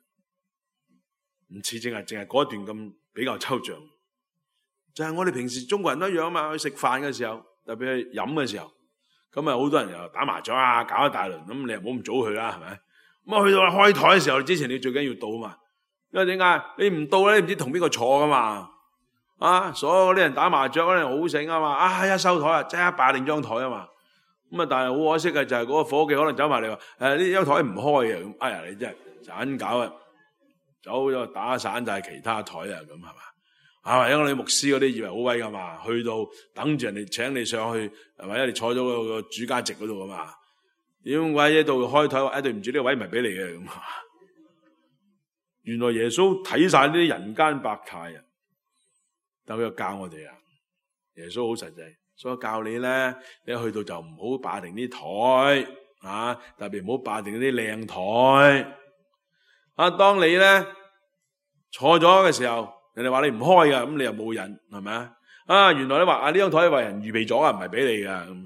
唔似淨係淨係嗰段咁比較抽象。就係我哋平時中國人都一樣嘛，去食飯嘅時候，特別係飲嘅時候，咁啊好多人又打麻雀啊，搞一大輪，咁你又唔好咁早去啦，係咪？咁啊去到開台嘅時候，之前你最緊要到啊嘛，因為點解？你唔到咧，你唔知同邊個坐噶嘛。啊！所有啲人打麻雀嗰啲人好醒啊嘛！啊一收台啊，即刻霸定張台啊嘛！咁啊，但係好可惜嘅就係嗰個伙計可能走埋嚟話：誒呢張台唔開啊！咁哎呀，你真係盞搞啊！走咗打散晒其他台啊！咁係嘛？啊，因為你牧師嗰啲以為好威噶嘛，去到等住人哋請你上去，係咪？你坐咗嗰個主家席嗰度噶嘛？點解喺度開台話：誒對唔住，呢個位唔係俾你嘅咁。原來耶穌睇晒呢啲人間百態啊！但佢又教我哋啊，耶穌好實際，所以教你咧，你一去到就唔好霸定啲台啊，特別唔好霸定啲靚台啊。當你咧坐咗嘅時候，人哋話你唔開噶，咁你又冇癮，係咪啊？啊，原來你話啊呢張台為人預備咗啊，唔係俾你噶咁。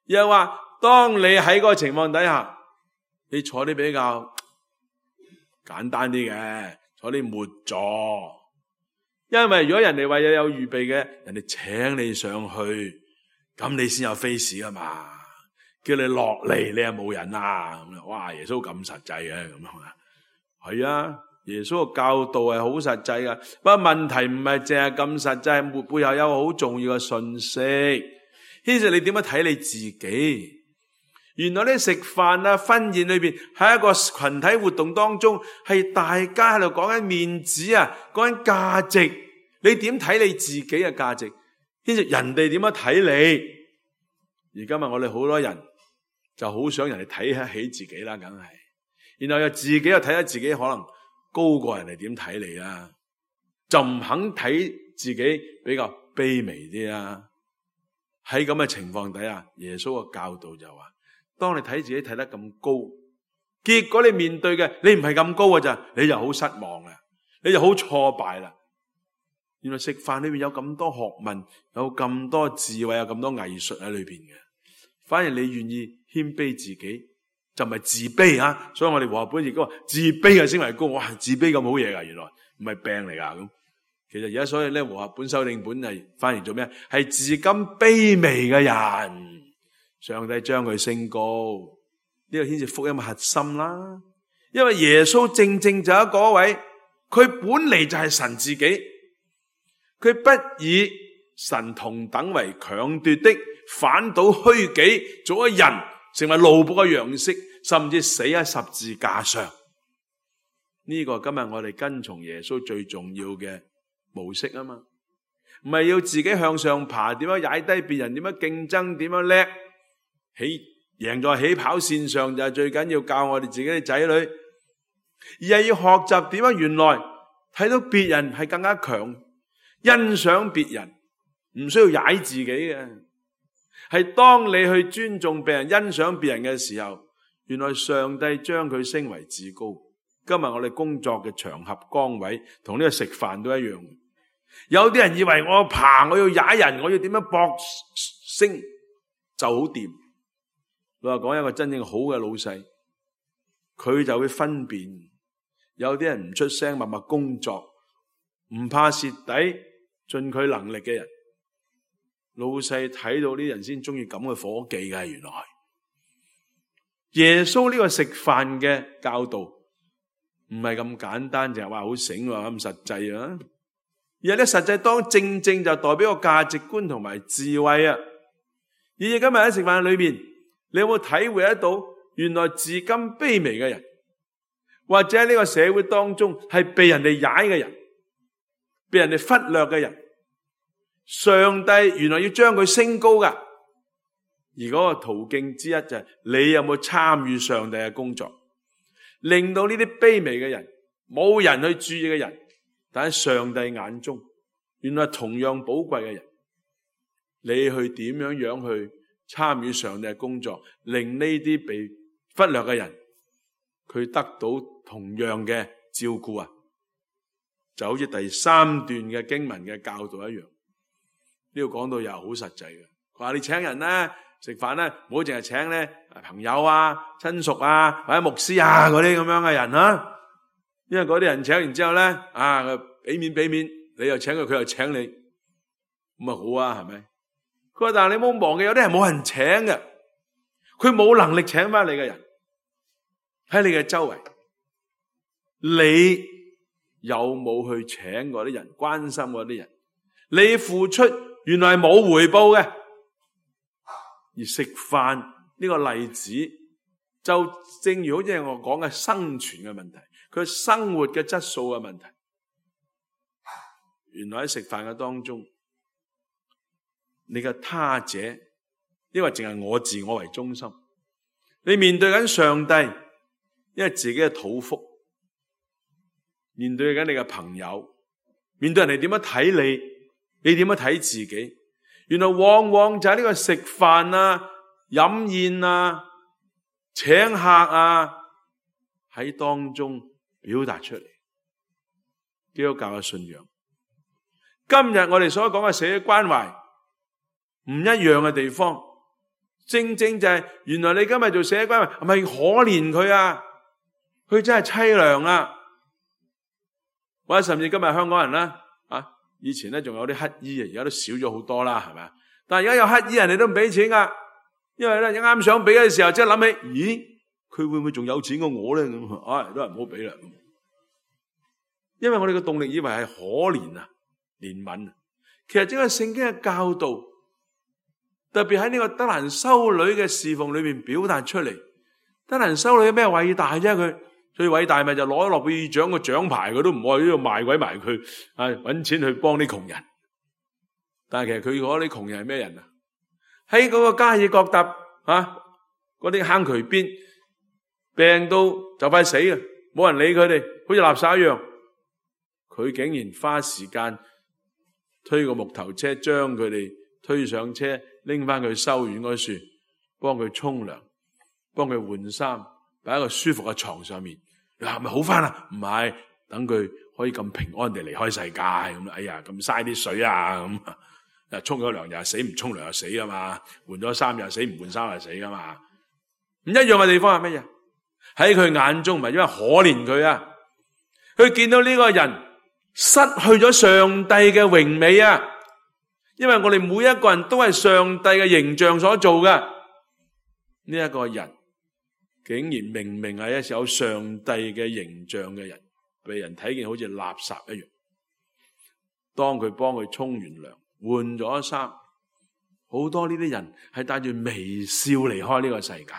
又話當你喺嗰個情況底下，你坐啲比較簡單啲嘅，坐啲末座。因為如果人哋為咗有預備嘅，人哋請你上去，咁你先有 face 噶嘛？叫你落嚟，你又冇人啊！咁哇，耶穌咁實際嘅咁啊？係啊，耶穌嘅教導係好實際噶。不過問題唔係淨係咁實際，背後有好重要嘅信息。其實你點樣睇你自己？原來咧食飯啊、婚宴裏邊喺一個群體活動當中，係大家喺度講緊面子啊，講緊價值。你點睇你自己嘅價值？其實人哋點樣睇你？而今日我哋好多人就好想人哋睇得起自己啦，梗係。然後又自己又睇得自己可能高過人哋點睇你啦，就唔肯睇自己比較卑微啲啦。喺咁嘅情況底下，耶穌嘅教導就話：當你睇自己睇得咁高，結果你面對嘅你唔係咁高嘅咋，你就好失望啦，你就好挫敗啦。原來食飯裏面有咁多學問，有咁多智慧，有咁多藝術喺裏邊嘅。反而你願意謙卑自己，就唔係自卑啊。所以我哋和合本亦都話自卑嘅先為高。哇，自卑咁好嘢噶，原來唔係病嚟噶咁。其實而家所以咧和合本修訂本係翻譯做咩？係自甘卑微嘅人，上帝將佢升高，呢個先至福音嘅核心啦。因為耶穌正正就係嗰位，佢本嚟就係神自己，佢不以神同等為強奪的，反倒虛己，做咗人，成為奴僕嘅樣式，甚至死喺十字架上。呢個今日我哋跟從耶穌最重要嘅模式啊嘛，唔係要自己向上爬，點樣踩低別人，點樣競爭，點樣叻，起贏在起跑線上就係最緊要教我哋自己嘅仔女，而係要學習點樣原來睇到別人係更加強，欣賞別人，唔需要踩自己嘅，係當你去尊重別人、欣賞別人嘅時候，原來上帝將佢升為至高。今日我哋工作嘅場合崗位同呢個食飯都一樣。有啲人以為我爬，我要踩人，我要點樣搏升就好掂。老實講，一個真正好嘅老細，佢就會分辨。有啲人唔出聲，默默工作，唔怕蝕底，盡佢能力嘅人，老細睇到呢人先中意咁嘅伙計嘅。原來耶穌呢個食飯嘅教導唔係咁簡單，就係話好醒話咁實際啊！而係咧實際當正正就代表個價值觀同埋智慧啊！而今日喺食飯裏邊，你有冇體會得到原來自甘卑微嘅人，或者喺呢個社會當中係被人哋踩嘅人，被人哋忽略嘅人，上帝原來要將佢升高噶。而嗰個途徑之一就係你有冇參與上帝嘅工作，令到呢啲卑微嘅人，冇人去注意嘅人，但喺上帝眼中，原來同樣寶貴嘅人，你去點樣樣去參與上帝嘅工作，令呢啲被忽略嘅人，佢得到同樣嘅照顧啊！就好似第三段嘅經文嘅教導一樣，呢度講到又好實際嘅。佢話你請人咧食飯咧，唔好淨係請咧朋友啊、親屬啊或者牧師啊嗰啲咁樣嘅人啊。因為嗰啲人請完之後咧，啊，俾面俾面，你又請佢，佢又請你，咁啊好啊，係咪？佢話但係你冇忘記，有啲人冇人請嘅，佢冇能力請翻你嘅人喺你嘅周圍，你有冇去請嗰啲人，關心嗰啲人？你付出原來係冇回報嘅，而食飯呢個例子就正如好似我講嘅生存嘅問題。佢生活嘅質素嘅問題，原來喺食飯嘅當中，你嘅他者，因為淨係我自我為中心，你面對緊上帝，因為自己嘅肚腹，面對緊你嘅朋友，面對人哋點樣睇你，你點樣睇自己，原來往往就喺呢個食飯啊、飲宴啊、請客啊喺當中表達出嚟。基督教嘅信仰，今日我哋所講嘅社會關懷唔一樣嘅地方，正正就係原來你今日做社會關懷係咪可憐佢啊？佢真係淒涼啊！或者甚至今日香港人啦，啊，以前咧仲有啲乞衣啊，而家都少咗好多啦，係咪？但係而家有乞衣，人哋都唔俾錢噶，因為咧啱想俾嘅時候，即係諗起，咦，佢會唔會仲有錢過我咧？咁啊，都係唔好俾啦。因為我哋嘅動力以為係可憐啊、憐憫啊，其實整個聖經嘅教導，特別喺呢個德蘭修女嘅侍奉裏面表達出嚟。德蘭修女有咩偉大啫？佢最偉大咪就攞諾貝爾獎個獎牌，佢都唔愛呢度賣鬼埋佢，啊，搵錢去幫啲窮人。但係其實佢嗰啲窮人係咩人啊？喺嗰個加爾各答啊，嗰啲坑渠邊，病到就快死啊，冇人理佢哋，好似垃圾一樣。佢竟然花時間推個木頭車，將佢哋推上車，拎翻去修院嗰處，幫佢沖涼，幫佢換衫，擺喺個舒服嘅床上面。你話係咪好翻啦？唔係，等佢可以咁平安地離開世界咁。哎呀，咁嘥啲水啊咁。啊，沖咗涼又死，唔沖涼又死噶嘛。換咗衫又死，唔換衫又死噶嘛。唔一樣嘅地方係乜嘢？喺佢眼中唔係因為可憐佢啊，佢見到呢個人失去咗上帝嘅榮美啊。因為我哋每一個人都係上帝嘅形象所做嘅，呢一個人竟然明明係一有上帝嘅形象嘅人，被人睇見好似垃圾一樣。當佢幫佢沖完涼、換咗衫，好多呢啲人係帶住微笑離開呢個世界。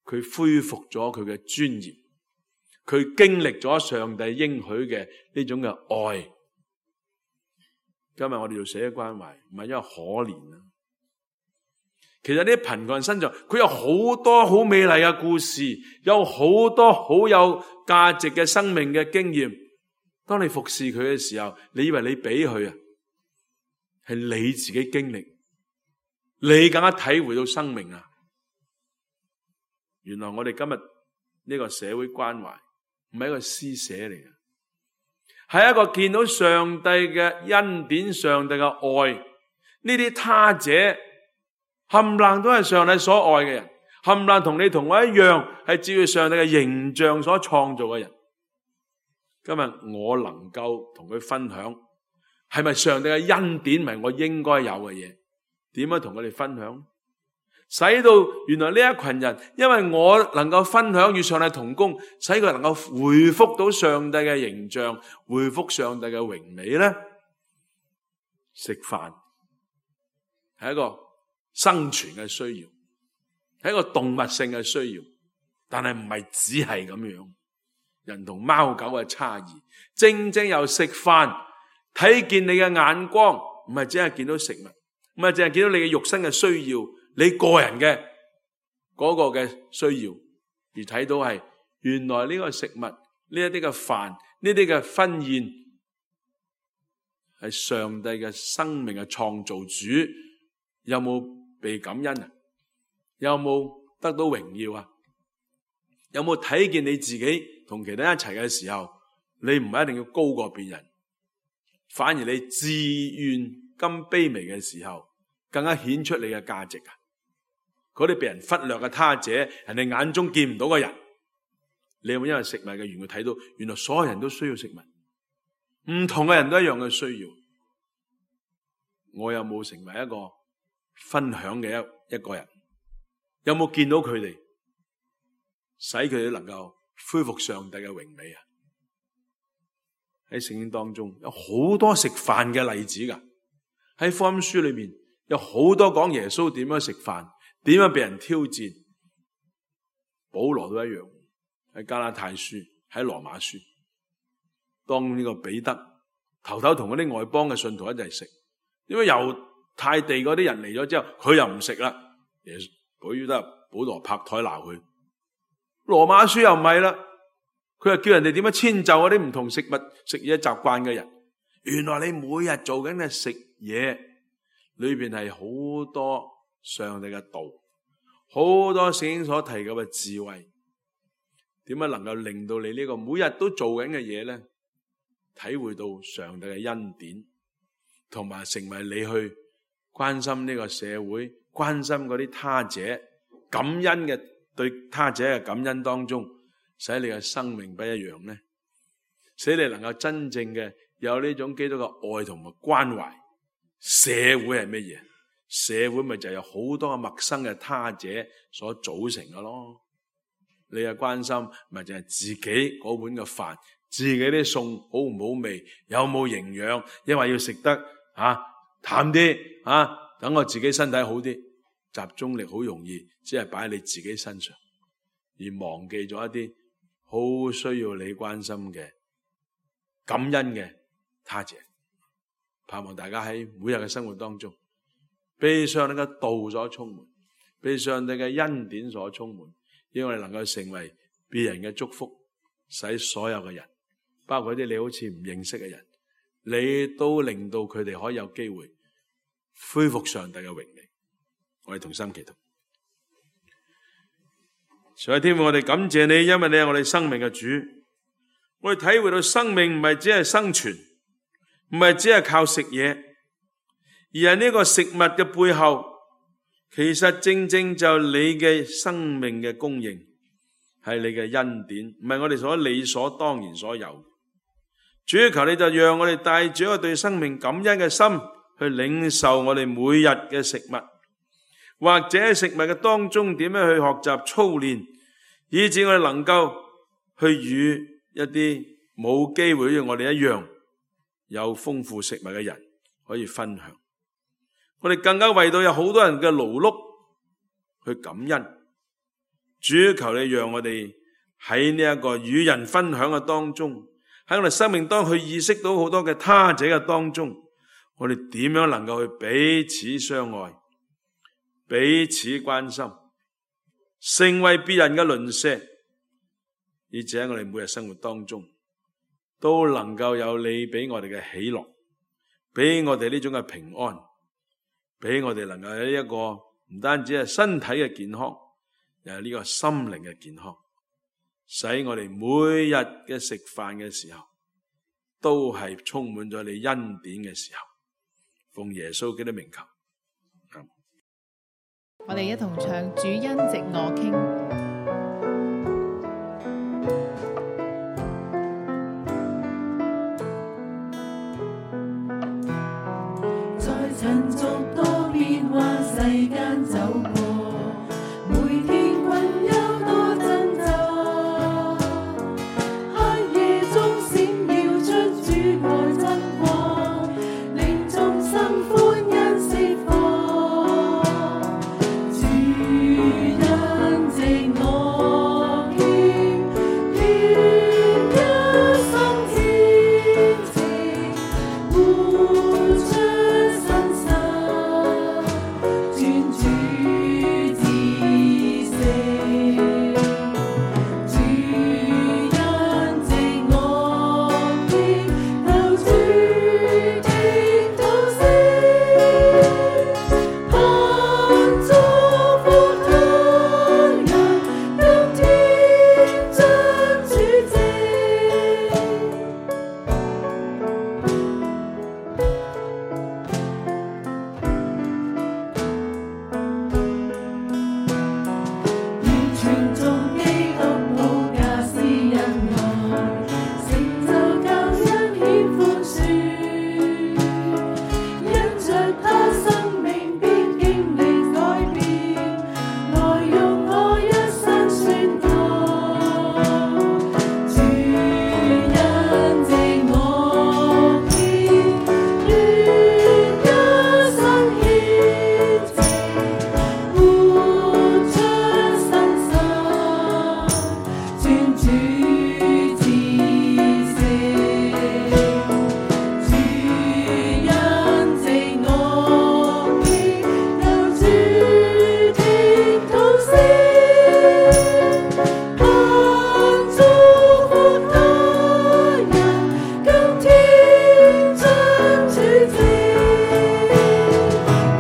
佢恢復咗佢嘅尊嚴，佢經歷咗上帝應許嘅呢種嘅愛。今日我哋要社會關懷，唔係因為可憐啊。其實呢啲貧困身上，佢有好多好美麗嘅故事，有好多好有價值嘅生命嘅經驗。當你服侍佢嘅時候，你以為你俾佢啊，係你自己經歷，你更加體會到生命啊。原來我哋今日呢個社會關懷唔係一個施捨嚟嘅，係一個見到上帝嘅恩典、上帝嘅愛。呢啲他者冚唪唥都係上帝所愛嘅人，冚唪唥同你同我一樣，係照住上帝嘅形象所創造嘅人。今日我能夠同佢分享，係咪上帝嘅恩典，唔係我應該有嘅嘢？點樣同佢哋分享？使到原來呢一群人，因為我能夠分享與上帝同工，使佢能夠回復到上帝嘅形象，回復上帝嘅榮美咧。食飯係一個生存嘅需要，係一個動物性嘅需要，但係唔係只係咁樣。人同貓狗嘅差異，正正由食飯睇見你嘅眼光，唔係只係見到食物，唔係淨係見到你嘅肉身嘅需要，你個人嘅嗰個嘅需要，而睇到係原來呢個食物，呢一啲嘅飯，呢啲嘅婚宴，係上帝嘅生命嘅創造主，有冇被感恩啊？有冇得到榮耀啊？有冇睇見你自己同其他人一齊嘅時候，你唔係一定要高過別人，反而你自願咁卑微嘅時候，更加顯出你嘅價值啊！嗰啲被人忽略嘅他者，人哋眼中見唔到嘅人，你有冇因為食物嘅緣故睇到，原來所有人都需要食物，唔同嘅人都一樣嘅需要。我有冇成為一個分享嘅一一個人？有冇見到佢哋，使佢哋能夠恢復上帝嘅榮美啊？喺聖經當中有好多食飯嘅例子噶，喺福音書裏面有好多講耶穌點樣食飯，點樣被人挑戰。保羅都一樣，喺加拉太書，喺羅馬書，當呢個彼得頭頭同嗰啲外邦嘅信徒一齊食，因為猶太地嗰啲人嚟咗之後，佢又唔食啦，耶穌佢得保羅拍台鬧佢。羅馬書又唔係啦，佢又叫人哋點樣遷就嗰啲唔同食物食嘢習慣嘅人。原來你每日做緊嘅食嘢裏邊係好多上帝嘅道，好多聖經所提及嘅智慧，點樣能夠令到你呢個每日都做緊嘅嘢咧，體會到上帝嘅恩典，同埋成為你去關心呢個社會，關心嗰啲他者，感恩嘅對他者嘅感恩當中，使你嘅生命不一樣呢？使你能夠真正嘅有呢種基督嘅愛同埋關懷。社會係乜嘢？社會咪就係有好多嘅陌生嘅他者所組成嘅咯。你嘅關心咪就係自己嗰碗嘅飯，自己啲餸好唔好味，有冇營養，因為要食得啊淡啲啊，等我自己身體好啲。集中力好容易只係擺喺你自己身上，而忘記咗一啲好需要你關心嘅感恩嘅他者。盼望大家喺每日嘅生活當中，被上帝嘅道所充滿，被上帝嘅恩典所充滿，因為我哋能夠成為別人嘅祝福，使所有嘅人，包括啲你好似唔認識嘅人，你都令到佢哋可以有機會恢復上帝嘅榮美。我哋同心祈禱。上帝天父，我哋感謝你，因為你係我哋生命嘅主。我哋體會到生命唔係只係生存，唔係只係靠食嘢，而係呢個食物嘅背後，其實正正就你嘅生命嘅供應，係你嘅恩典，唔係我哋所理所當然所有。主要求你就讓我哋帶住一個對生命感恩嘅心去領受我哋每日嘅食物，或者喺食物嘅當中點樣去學習操練，以致我哋能夠去與一啲冇機會像我哋一樣有豐富食物嘅人可以分享。我哋更加為到有好多人嘅勞碌去感恩。主求你讓我哋喺呢一個與人分享嘅當中，喺我哋生命當中去意識到好多嘅他者嘅當中，我哋點樣能夠去彼此相愛，彼此關心，成為別人嘅鄰舍，以至喺我哋每日生活當中都能夠有你俾我哋嘅喜樂，俾我哋呢種嘅平安，俾我哋能夠有一個唔單止係身體嘅健康，又係呢個心靈嘅健康，使我哋每日嘅食飯嘅時候都係充滿咗你恩典嘅時候。奉耶穌基督名求。我哋一同唱主恩藉我傾。在塵俗多變幻世間走過，每天困憂多掙扎，黑夜中閃耀出主愛真光，令眾生歡欣釋放。主恩藉我傾，願一心虔誠活出真實，專注至誠。主恩藉我傾，求主聽禱聲，盼祝福他人，今天將主證。完全做基督徒假施恩愛，成就救恩顯寬恕，因着他生命必經歷改變，來用我一生宣告。主恩藉我傾，願一生虔誠活出真實，專注至誠。主恩藉我傾，求主聽禱聲，盼祝福他人，今天將主證。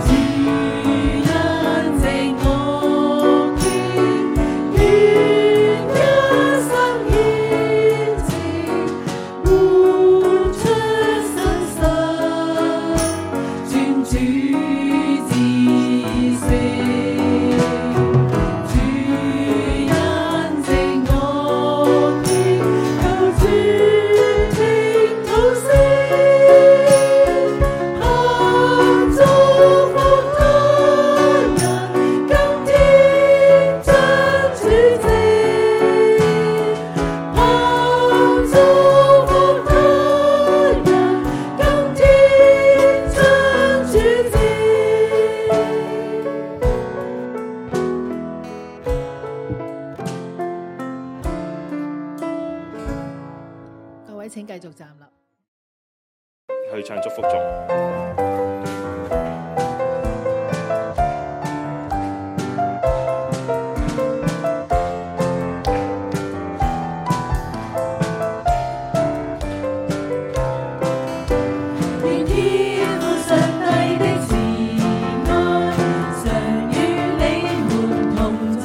主恩藉我傾，願一生虔誠活出真實，專注至誠。主恩藉我傾，求主聽禱聲，盼祝福他人，今天將主證。盼祝福他人，今天將主證。各位請繼續站立。去唱祝福頌。願天父上帝的慈愛常與你們同在，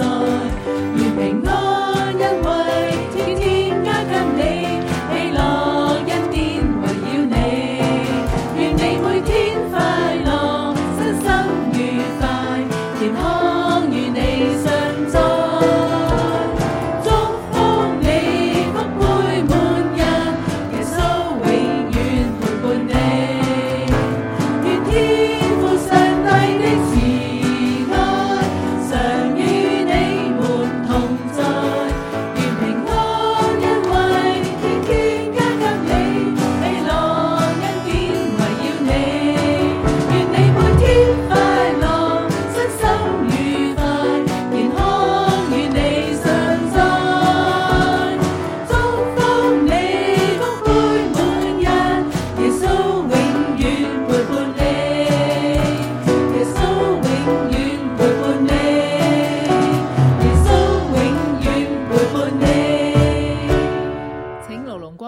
願平安恩惠天天加給你，喜樂恩典圍繞你，願你每天快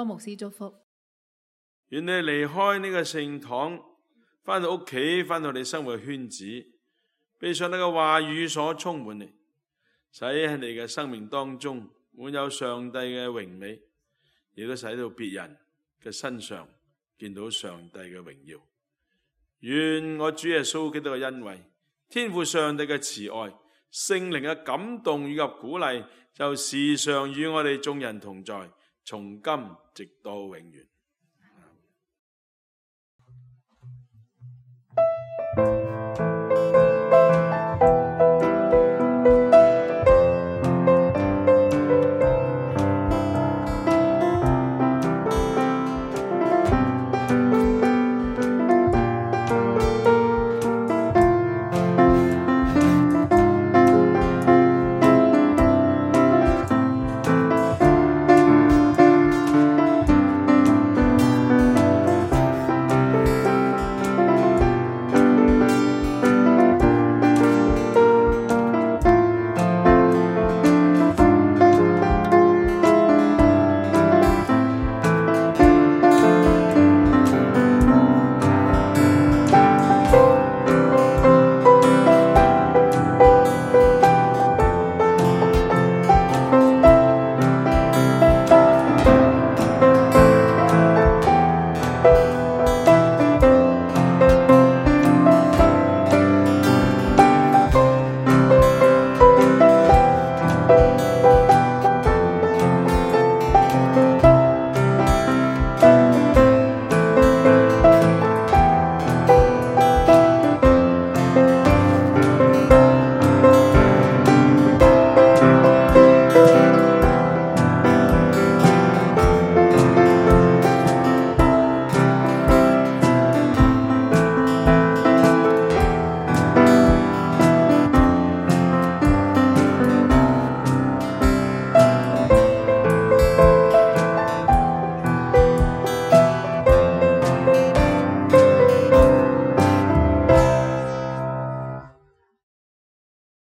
牧師祝福。願你離開呢個聖堂，返到屋企，返到你生活嘅圈子，被上帝嘅話語所充滿你，使喺你嘅生命當中滿有上帝嘅榮美，亦都使到別人嘅身上見到上帝嘅榮耀。願我主耶穌基督嘅恩惠、天父上帝嘅慈愛、聖靈嘅感動以及鼓勵，就時常與我哋眾人同在，從今直到永遠。